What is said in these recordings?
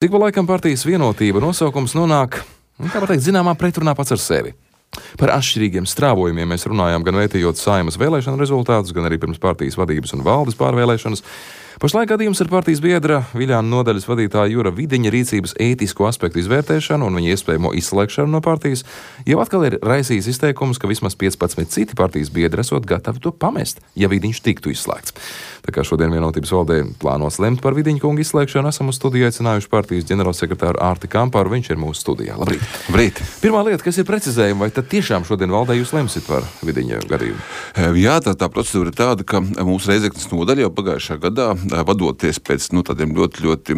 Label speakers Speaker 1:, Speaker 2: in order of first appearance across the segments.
Speaker 1: Cik pa laikam partijas Vienotība nosaukums nonāk, kā var teikt, zināmā pretrunā pats ar sevi. Par atšķirīgiem strāvojumiem mēs runājām gan vērtējot Saeimas vēlēšanu rezultātus, gan arī pirms partijas vadības un valdes pārvēlēšanas. Pašlaik gadījums ar partijas biedra Viļāna nodaļas vadītāja Jura Vidiņa rīcības ētisko aspektu izvērtēšanu un viņa iespējamo izslēgšanu no partijas jau atkal ir raisījis izteikums, ka vismaz 15 citi partijas biedri esot gatavi to pamest, ja Vidiņš tiktu izslēgts. Tā kā šodien Vienotības valdē plānos lemt par Vidiņa kunga izslēgšanu, esam uz studiju aicinājuši partijas ģenerālsekretāru Ārti Kampāru, viņš ir mūsu studijā. Labrīt!
Speaker 2: Labrīt!
Speaker 1: Pirmā lieta, kas ir precizējuma, vai tad tiešām šodien valdē jūs lemsit par Vidiņa gadījumu?
Speaker 2: Jā, tā procedūra ir tāda, ka mūsu Reizeknes nodaļa jau pagājušā gadā, vadoties pēc tādiem ļoti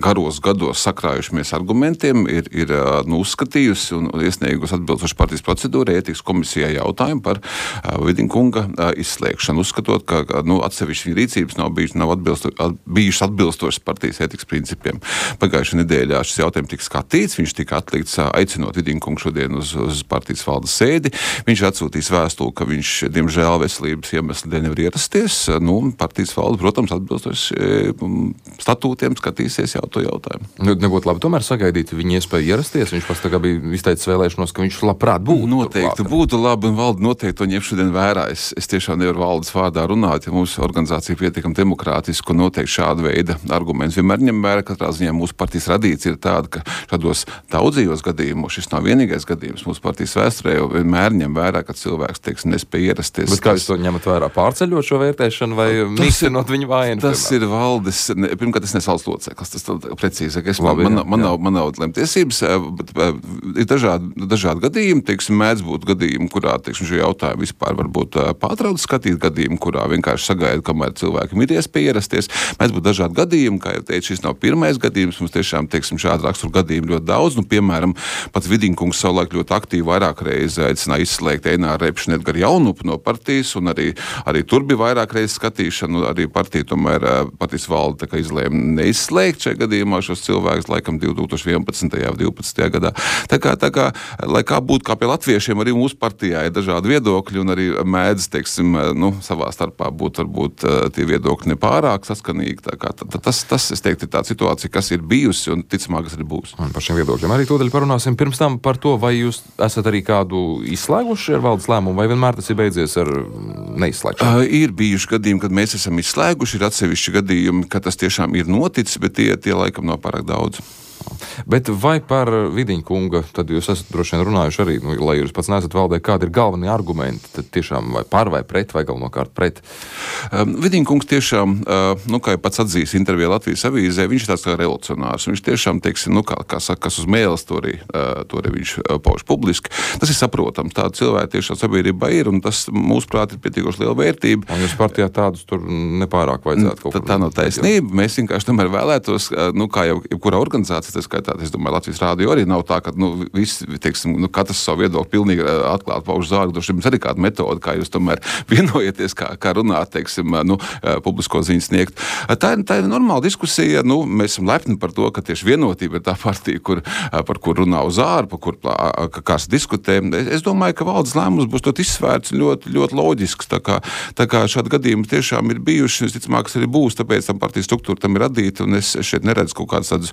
Speaker 2: garos gados sakrājušamies argumentiem, ir uzskatījusi un iesniegusi atbilstoši partijas procedūrai ētikas komisijā jautājumu par Vidiņa kunga izslēgšanu, uzskatot, ka atsevišķi viņa rīcības nav bijušas atbilstošas partijas ētikas principiem. Pagājušajā nedēļā šis jautājums tika skatīts, viņš tika atlikts aicinot Vidiņa kungu šodien uz partijas valdes sēdi. Viņš atsūtīs vēstuli, ka viņš, diemžēl, veselības iemeslu dēļ nevar ierasties. Partijas valde, protams, atbilstoši statūtiem skatīsies jau to jautājumu.
Speaker 1: Nebūtu labi tomēr sagaidīt viņa iespēju ierasties. Viņš pats tagad bija izteicis vēlēšanos, ka viņš labprāt būtu.
Speaker 2: Noteikti būtu labi, un valde noteikti to ņem šodien vērā. Es tiešām nevaru valdes vārdā runāt, ja mūsu organizācija pietiekami demokrātiski, un noteikti šāda veida arguments vienmēr ņem vērā. Katrā ziņā mūsu partijas radīcija ir tāda, ka šādos daudzījos gadījumos, šis nav vienīgais gadījums mūsu partijas vēsturē, jau vienmēr ņem vērā, ka cilvēks, nespēja ierasties.
Speaker 1: Bet kā jūs to ņemat vērā? Pārceļot šo vērtēšanu vai mīkstinot viņu vainu?
Speaker 2: Tas ir valdes, pirmkārt, es nesu valsts loceklis, tas precīzi, ka man nav lemtiesības, bet ir dažādi gadījumi, mēdz būt gadījumi, kurā, šo jautājumu vispār varbūt pārtrauc skatīt, gadījumi, kurā vienkārši sagaida, kamēr cilvēkam ir iespēja ierasties. Mēdz būt dažādi gadījumi, kā jau teicu, šis nav pirmais gadījums, mums tiešām, šādu raksturu gadījumu ļoti daudz, piemēram, pats Vidiņa kungs savulaik ļoti aktīvi vairāk reizi aicināja izslēgt Eināru Repšu un Edgaru Jaunupu no partijas, un arī tur bija vairāk reizi skatīšana, arī partija tomēr partijas valde izlēma neizslēgt šajā gadījumā šos cilvēkus, laikam 2011. vai 2012. gadā. Tā kā, lai kā būtu kā pie latviešiem, arī mūsu partijā ir dažādi viedokļi, un arī mēdz, savā starpā būt varbūt tie viedokļi nepārāk saskanīgi. Tas, es teiktu, ir tā situācija, kas ir bijusi, un ticamāk, kas arī būs.
Speaker 1: Un par šiem viedokļiem arī tūdaļ parunāsim. Pirms tam par to, vai jūs esat arī kādu izslēguši ar valdes lēmumu, vai vienmēr tas ir beidzies ar neizslēgšanu? Ir
Speaker 2: bijuši gadījumi, kad mēs esam izslēguši, ir atsevišķi gadījumi, ka tas tiešām ir noticis, bet tie laikam nav pārāk daudz.
Speaker 1: Bet vai par Vidiņa kunga, tad jūs esat droši vien runājuši arī, lai jūs pats neesat valdē, kādi ir galvenie argumenti, tad tiešām vai par vai pret, vai galvenokārt pret?
Speaker 2: Vidiņa kungs tiešām, kā jau pats atzīs intervijā Latvijas avīzē, viņš ir tāds kā revolucionārs. Viņš tiešām, kā saka, kas uz mēles, to arī viņš pauž publiski. Tas ir saprotams, tāda cilvēka tiešām sabiedrībā ir, un tas, mūsuprāt, ir pietiekoši liela vērtība.
Speaker 1: Un jūs partijā tādus tur nepārāk vajadzētu kaut kā.
Speaker 2: Tā nav taisnība. Mēs vienkārši tomēr vēlētos, kā jau jebkurā organizācija, tas skaitā, es domāju, Latvijas rādio arī nav tā, ka visi, katrs savu viedokli pilnīgi atklāti pauž zārgu. Droši jums arī kāda metode, kā jūs tomēr vienojaties, kā runāt, publisko ziņu sniegt. Tā ir normāla diskusija. Mēs esam lepni par to, ka tieši Vienotība ir tā partija, par kur runā uz āru, par kur kāds diskutē. Es domāju, ka valdes lēmums būs ļoti izsvērts, ļoti, ļoti loģisks. Tā kā šādi gadījumi tiešām ir bijuši, un visticamāk, arī būs, tāpēc tam partijas struktūra tam ir radīta, un es šeit neredzu kaut kādas tādas,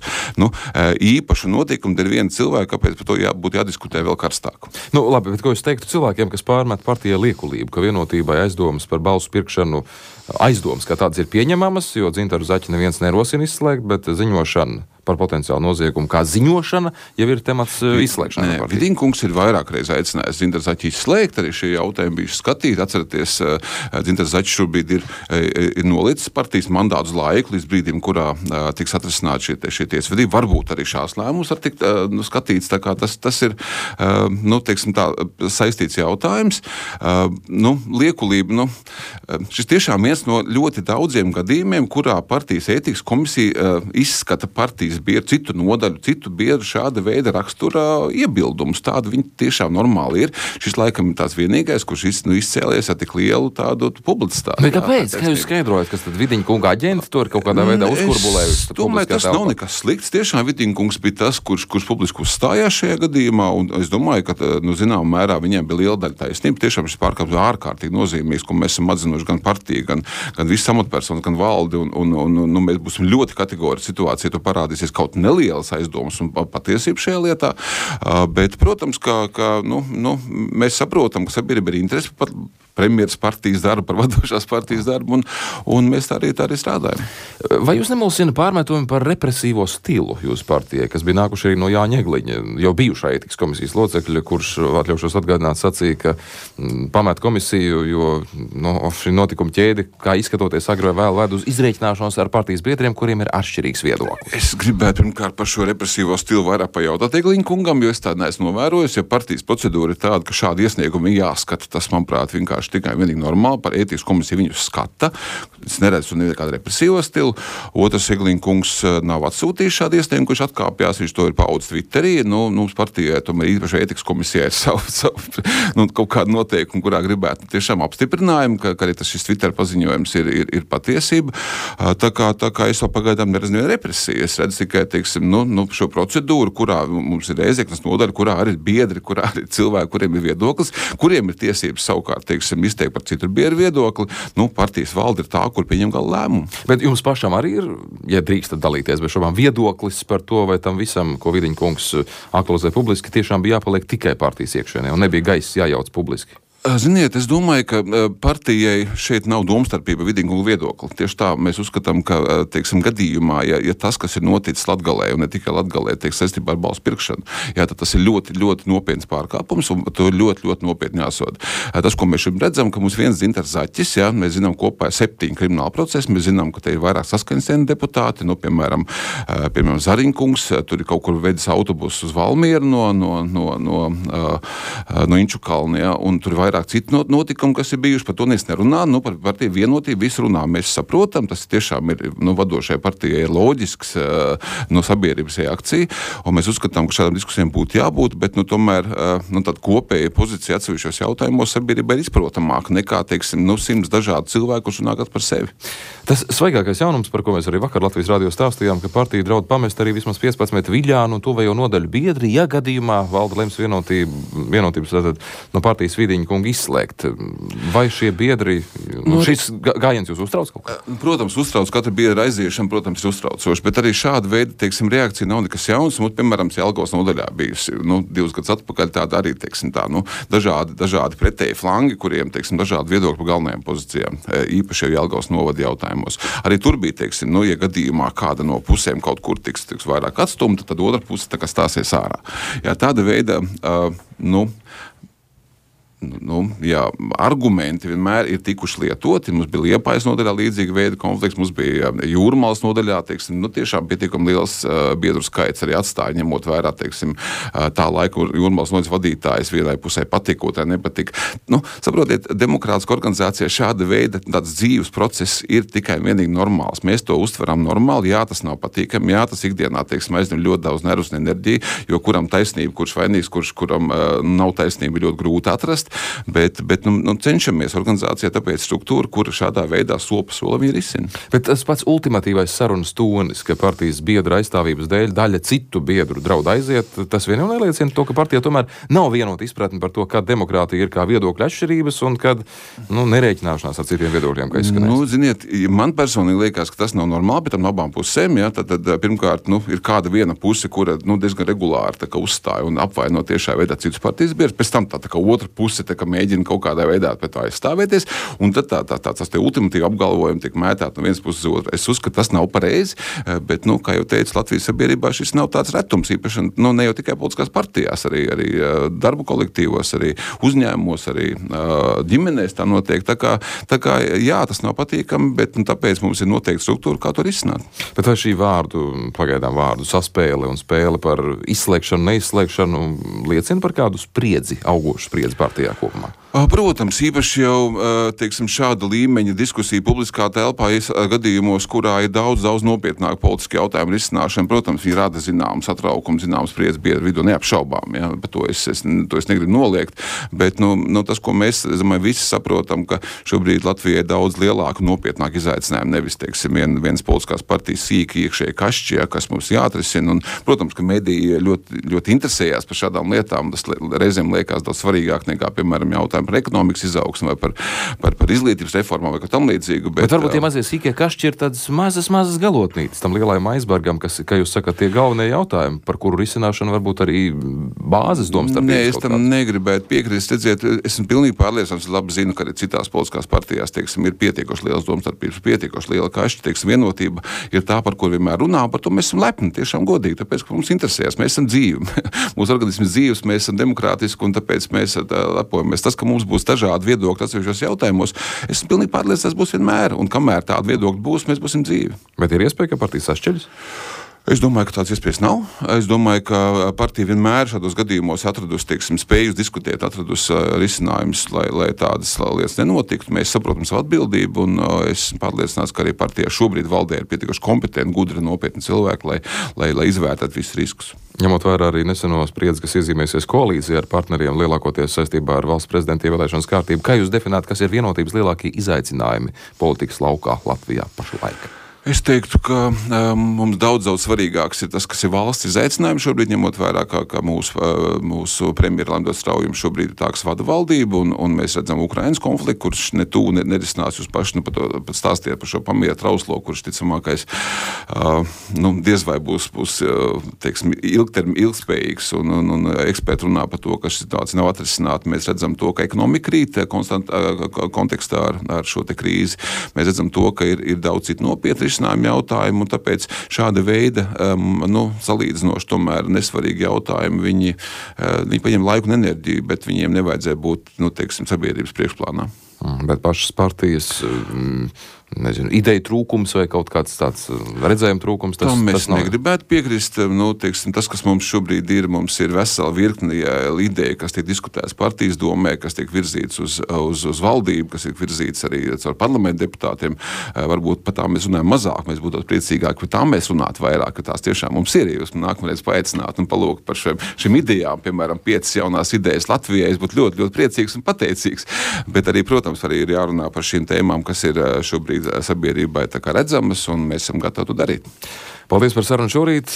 Speaker 2: īpašu notikumu dēļ viena cilvēka, kāpēc par to būtu jādiskutē vēl karstāk.
Speaker 1: Labi, bet ko jūs teiktu cilvēkiem, kas pārmet partijai liekulību, ka Vienotībai aizdomas par balsu pirkšanu, aizdomas, kā tādas ir pieņemamas, jo Dzintaru Zaķi neviens nerosina izslēgt, bet ziņošana par potenciālu noziegumu, kā ziņošana, jau ir temats izslēgšanai.
Speaker 2: Vidiņa kungs ir vairāk reiz aicinājis Dzintaru Zaķi izslēgt, arī šie jautājumi bijuši skatīti. Atceraties, Dzintars Zaķis šobrīd ir nolicis partijas mandātu laiku līdz brīdim, kurā tiks atrisināti šie tiesvedība. Varbūt arī šās lēmumus var tikt skatīts, tā kā tas ir, saistīts jautājums. Liekulība, šis tiešām viens no ļoti daudziem gadījumiem, kurā partijas ētikas komisija izskata partijas biedru, citu nodaļu, citu biedru šāda veida rakstura iebildumus. Tāda viņi tiešām normāli ir. Šis laikam ir tās vienīgais, kurš izcēlies ar tik lielu tādu publicitāti.
Speaker 1: Bet kāpēc? Kā jūs skaidrojat, kas tad Vidiņa kunga aģenti to ir kaut kādā veidā uzkurbulējusi?
Speaker 2: Es domāju, tas nav nekas slikts. Tiešām Vidiņa kungs bija tas, kurš publiski uzstājās šajā gadījumā, un es domāju, ka, zināmā mērā viņiem bija liela daļa taisnība. Tiešām šis pārkāpums ir ārkārtīgi nozīmīgs, ko mēs esam atzinuši gan partiju, gan visas amatpersonas, gan valdi, un mēs būsim ļoti kategoriski situācija, to parādīs izrādīsies kaut nelielas aizdomas un patiesība šajā lietā, bet, protams, ka mēs saprotam, ka sabiedrība ir interesi par premjeras partijas darbu, par vadošās partijas darbu, un mēs tā arī strādājam.
Speaker 1: Vai jūs nemulsina pārmetumi par represīvo stilu jūsu partijai, kas bija nākuši arī no Jāņa Egliņa, jau bijušā ētikas komisijas locekļa, kurš, atļaušos atgādināt, sacīja, ka pamet komisiju, jo šī notikuma ķēde, kā izskatoties agri vai vēl ved uz izrēķināšanos ar partijas biedriem, kuriem ir atšķirīgs viedoklis?
Speaker 2: Es gribētu pirmkārt par šo represīvo stilu vairāk pajautāt Egliņa kungam, jo es tādu neesmu novērojis, ja partijas procedūra ir tāda, ka šādi iesniegumi jāskata, tas, manuprāt, vienkārši tikai vienīgi normāli, par ētikas komisiju viņus skata. Es neredzu nekādu represīvo stilu. Otrs, Egliņa kungs nav atsūtījis šādu iesniegumu, kurš atkāpjās, viņš to ir paudis Twitterī. Mums partijai, tomēr īpaši ētikas komisijai ir savu kaut kādu noteikumu, kurā gribētu tiešām apstiprinājumu, ka arī šis Twitter paziņojums ir patiesība. Tā kā es vēl pagaidām neredzu nevienu represiju. Es redzu tikai, šo procedūru, kurā mums ir ēzeknas nodaļa, kurā arī ir biedri, kurā arī cilvēki, kuriem ir viedoklis, kuriem ir tiesības savukārt, izteikt par citu biedru viedokli. Partijas valde ir tā, kur pieņem gala lēmumu.
Speaker 1: Bet jums pašam arī ir, ja drīkstat dalīties bez šobām, viedoklis par to, vai tam visam, ko Vidiņa kungs aktualizē publiski, tiešām bija jāpaliek tikai partijas iekšienē un nebija gaiss jājauc publiski?
Speaker 2: Ziniet, es domāju, ka partijai šeit nav domstarpība Vidiņa kunga viedokli. Tieši tā mēs uzskatām, ka, gadījumā, ja tas, kas ir noticis Latgalē, un ne tikai Latgalē, saistībā ar balsu pirkšanu, tad tas ir ļoti, ļoti nopietns pārkāpums, un to ļoti, ļoti nopietni jāsoda. Tas, ko mēs šim redzam, ka mums viens Dzintars Zaķis, mēs zinām, kopā ir 7 krimināla procesi, mēs zinām, ka te ir vairāk saskaņas deputāti, piemēram, Zariņa kungs, tur ir kaut kur vedis autobusu uz Valmieru no Inčukalni, un tur ir vairāk citu notikumu, kas ir bijuši, par to neviens nerunā, par partiju vienotību visu runā. Mēs saprotam, tas tiešām ir, vadošajai partijai ir loģisks sabiedrības reakcija, un mēs uzskatām, ka šādām diskusijām būtu jābūt, bet, tomēr, tāda kopēja pozīcija atsevišķos jautājumos sabiedrībai ir izprotamāka nekā, 100 dažādu cilvēku, kurš runā kāds par sevi.
Speaker 1: Tas svaigākais jaunums, par ko mēs arī vakar Latvijas radio stāstījām, ka partija draud pamest arī vismaz 15 viļānu un tuvējo nodaļu biedri, ja gadījumā valda lems vienotības no partijas Vidiņa kunga izslēgt. Vai šie biedri, šis gājiens jūs uztrauc kaut kā?
Speaker 2: Protams, uztrauc, katra biedra aiziešana, protams, ir uztraucoši, bet arī šāda veida, reakcija nav nekas jauns. Piemēram, Jelgavas nodaļā bijusi, 2 gadus atpakaļ tāda arī, dažādi pretēji flangi, kuriem, dažādi viedokļi par galvenajām pozīcijām, īpaši jau Jelgavas novada jautājumos. Arī tur bija, ja gadījumā kāda no pusēm kaut kur tiks vairāk atstumta, tad otra puse stāsies ārā. Jā, tāda veida, argumenti vienmēr ir tikuši lietoti. Mums bija Liepājas nodaļā līdzīga veida konflikts, mums bija Jūrmalas nodaļā, tiešām pietiekami liels biedru skaits arī atstāja, ņemot vērā, tā laika Jūrmalas nodaļas vadītājs vienai pusē patika, otrai nepatika. Saprotiet, demokrātiska organizācija šāda veida tāds dzīves process ir tikai vienīgi normāls. Mēs to uztveram normāli, jā, tas nav patīkami, jā, tas ikdienā, aizņem ļoti daudz nervus un enerģiju, jo kuram taisnība, kurš vainīgs, kuram nav taisnība, ļoti grūti atrast. Bet cenšamies organizācijā, tāpēc struktūra, kura šādā veidā sopa solim ir izsina.
Speaker 1: Bet tas pats ultimatīvais sarunas tonis, ka partijas biedru aizstāvības dēļ daļa citu biedru draud aiziet, tas vien jau neliecina to, ka partija tomēr nav vienota izpratne par to, kā demokrātija ir kā viedokļa atšķirības un kad nerēķināšanās ar citiem viedokļiem, kā izskanēs.
Speaker 2: Ziniet, man personīgi liekas, ka tas nav normāli, bet tam no abām pusēm, tad pirmkārt, ir kāda viena puse, kura diezgan regulāri uzstāja un apvaino tiešā veidā citus partijas biedrus, pēc tam tā kā otra puse mēģina kaut kādā veidā pēc tā aizstāvēties, un tad tas ultimatīvi apgalvojumi tiek mētāti no vienas puses uz otru. Es uzskatu, tas nav pareizi, bet, kā jau teicu, Latvijas sabiedrībā šis nav tāds retums, īpaši, ne jau tikai politiskās partijās, arī darbu kolektīvos, arī uzņēmumos, arī ģimenēs tā notiek. Tā kā, jā, tas nav patīkami, bet tāpēc mums ir noteikti struktūra, kā to risināt.
Speaker 1: Bet vai šī pagaidām vārdu saspēle un spēle par izslēgšanu, neizslēgšanu liecina par kādu spriedzi, augošu spriedzi partijā kopumā?
Speaker 2: Protams, īpaši jau, šāda līmeņa diskusija publiskā telpā gadījumos, kurā ir daudz nopietnāk politiski jautājumu risināšana, protams, viņi rada zināmu satraukumu, zināmu spriedzi biedru vidū, neapšaubām, ja, bet to es negribu noliegt, bet, tas, ko mēs, visi saprotam, ka šobrīd Latvijai daudz lielāku nopietnāku izaicinājumu, nevis, vienas politiskās partijas sīki iekšēji kašķi, kas mums jāatrisina, un, protams, ka mediji ļoti, ļoti interesējās par šādām lietām, tas reizēm liekas daudz svarīgāk nekā, piemēram, jautājumi par ekonomikas izaugsmu vai par izglītības reformām vai kā tam līdzīgu.
Speaker 1: Bet varbūt tie mazie sīkie kašķi ir tādas mazas galotnītes tam lielajam aizbergam, kas, kā jūs sakat, tie galvenie jautājumi, par kuru risināšanu varbūt arī bāzes domstarpības.
Speaker 2: Nē, es tam negribētu piekrist. Redziet, esmu pilnīgi pārliecināts, labi zinu, ka arī citās politiskās partijās, teiksim, ir pietiekoši liels domstarpības, pietiekoši liela kašķi, teiksim, vienotība ir tā, par ko vienmēr runā, par to mēs esam lepni, tiešām godīgi, tāpēc, ka mums interesējas, mēs esam dzīvi, mūsu organisms dzīves, mēs esam demokrātiski un tāpēc mēs lepojamies. Tas, ka mums būs dažādi viedokļi atsevišķos jautājumos, esmu pilnīgi pārliecināts, būs vienmēr, un kamēr tādi viedokļi būs, mēs būsim dzīvi.
Speaker 1: Bet ir iespēja, ka partijas sašķeļas?
Speaker 2: Es domāju, ka tāds iespējas nav. Es domāju, ka partija vienmēr šādos gadījumos atradusi, teiksim, spēju diskutēt, atradusi risinājumus, lai tādas lietas nenotiktu. Mēs saprotam savu atbildību, un es esmu pārliecināts, ka arī partijā šobrīd valdē ir pietiekoši kompetenti, gudri, nopietni cilvēki, lai izvērtētu visus riskus.
Speaker 1: Ņemot vērā arī neseno spriedzi, kas iezīmēsies koalīcijā ar partneriem, lielākoties saistībā ar valsts prezidenta ievēlēšanas kārtību, kā jūs definētu, kas ir vienotības lielākie izaicinājumi politikas laukā Latvijā pašlaik?
Speaker 2: Es teiktu, ka mums daudz svarīgāks ir tas, kas ir valsts izaicinājums šobrīd, ņemot vērā, ka mūsu premjera Laimdots Straujums šobrīd ir tā, kas vada valdību, un mēs redzam Ukrainas konfliktu, kurš nerisinās jūs paši, pat stāstījāt par šo pamiera trauslo, kurš ticamākais, diez vai būs teiksim, ilgspējīgs, un eksperti runā par to, ka šī situācija nav atrisināta. Mēs redzam to, ka ekonomika krīt kontekstā ar šo te krīzi. Mēs redzam to, ka ir daudz citu nopietni risinājumu jautājumu, un tāpēc šāda veida salīdzinoši tomēr nesvarīgi jautājumi, viņi paņem laiku un enerģiju, bet viņiem nevajadzēja būt, teiksim, sabiedrības priekšplānā.
Speaker 1: Bet pašas partijas, ideju trūkums vai kaut kāds tāds redzējuma trūkums, tas
Speaker 2: mēs
Speaker 1: nav.
Speaker 2: Negribētu piekrist. Teiksim, tas, kas mums šobrīd ir vesela virkne ideja, kas tiek diskutēts partijas domē, kas tiek virzīts uz valdību, kas tiek virzīts arī caur parlamentu deputātiem. Varbūt par tām mēs runājam mazāk, mēs būtu priecīgāki, par tām mēs runātu vairāk, ka tās tiešām mums ir. Jūs nākamreiz paaicināt un palūkt par šīm idejām, piemēram, 5 jaunās idejas Latvijai, es būtu ļoti, ļoti priecīgs un pateicīgs. Bet arī, protams, arī ir jārunā par šīm tēmām, kas ir šobrīd sabiedrībai tā kā redzamas, un mēs esam gatavi to darīt.
Speaker 1: Paldies par sarunu šorīt.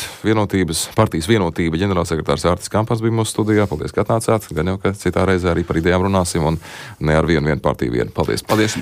Speaker 1: Partijas vienotība ģenerālsekretārs Ārtis Kampas bija mūsu studijā. Paldies, ka atnācāt. Gan jau, ka citā reizē arī par idejām runāsim, un ne ar vienu partiju vienu. Paldies.
Speaker 2: Paldies.